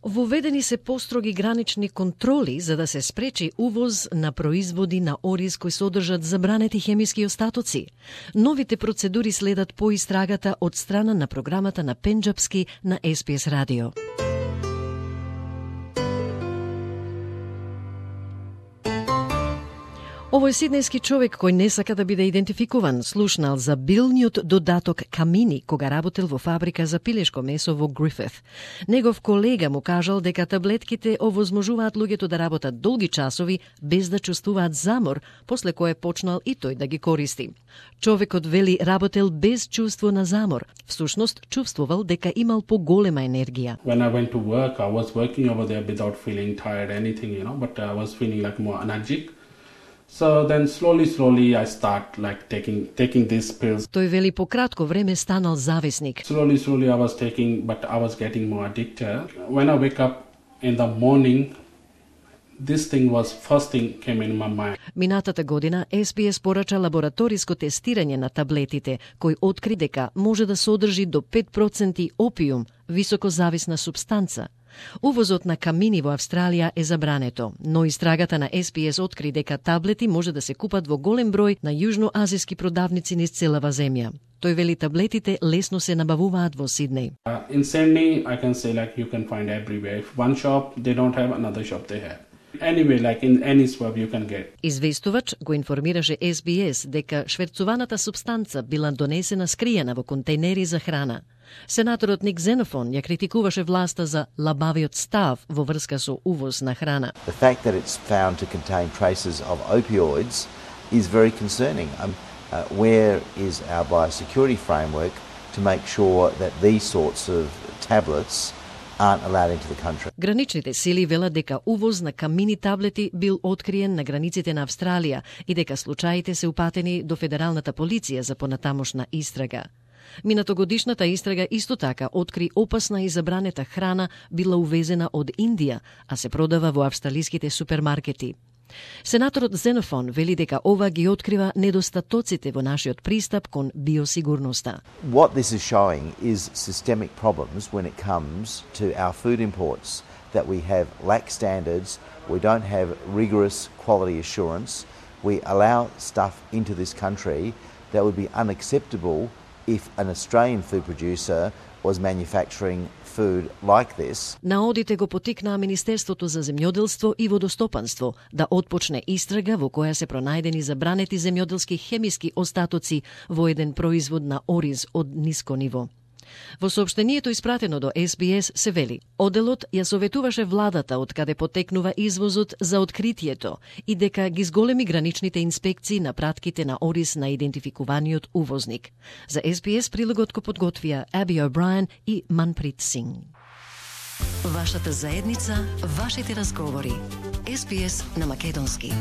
Воведени се построги гранични контроли за да се спречи увоз на производи на ориз кои содржат забранети хемиски остатоци. Новите процедури следат по истрагата од страна на програмата на пенџапски на SPS радио. Овој сиднејски човек кој не сака да биде идентификуван слушнал за билниот додаток камини кога работел во фабрика за пилешко месо во Грифит. Негов колега му кажал дека таблетките овозможуваат луѓето да работат долги часови без да чувствуваат замор, после кое почнал и тој да ги користи. Човекот вели работел без чувство на замор. Всушност чувствувал дека имал поголема енергија. When I went to work, I was working over there without feeling tired anything, but I was feeling like more energetic. So then slowly I start like taking these pills. Тој вели по кратко време станал зависник. Slowly I was taking, but I was getting more addicted. When I wake up in the morning, this thing was first thing came in my mind. Минатата година SPS порача лабораториско тестирање на таблетите, кој откри дека може да содржи до 5% опиум, високо зависна супстанца. Увозот на камини во Австралија е забрането, но истрагата на SPS откри дека таблети може да се купат во голем број на јужноазиски продавници низ целава земја. Тој вели таблетите лесно се набавуваат во Сиднеј. In Sydney, I can say like you can find everywhere. If one shop they don't have, another shop they have. Anyway, like in any swab you can get. Известувач го информираше SBS дека шверцуваната субстанца била донесена скриена во контейнери за храна. Сенаторот Ник Зенофон ја критикуваше власта за лабавиот став во врска со увоз на храна. The fact that it's found to contain traces of opioids is very concerning. Where is our biosecurity framework to make sure that these sorts of tablets aren't allowed into the country? Граничните сили велат дека увоз на камини таблети бил откриен на границите на Австралија и дека случаите се упатени до федералната полиција за понатамошна истрага. Минатогодишната истрага исто така откри опасна и забранета храна била увезена од Индија, а се продава во австралиските супермаркети. Сенаторот Зенофон вели дека ова ги открива недостатоците во нашиот пристап кон биосигурноста. What this is showing is systemic problems when it comes to our food imports, that we have lax standards, we don't have rigorous quality assurance, we allow stuff into this country that would be unacceptable if an Australian food producer was manufacturing food like this. Наодите го потикнаа Министерството за земјоделство и водостопанство да отпочне истрага во која се пронајдени забранети земјоделски хемиски остатоци во еден производ на ориз од ниско ниво. Во соопштението испратено до SBS се вели: оделот ја советуваше владата од каде потекнува извозот за откритието и дека ги зголеми граничните инспекции на пратките на ориз на идентификуваниот увозник. За SBS прилогот го подготвија Аби О'Брајен и Манприт Синг. Вашата заедница, вашите разговори. SBS на македонски.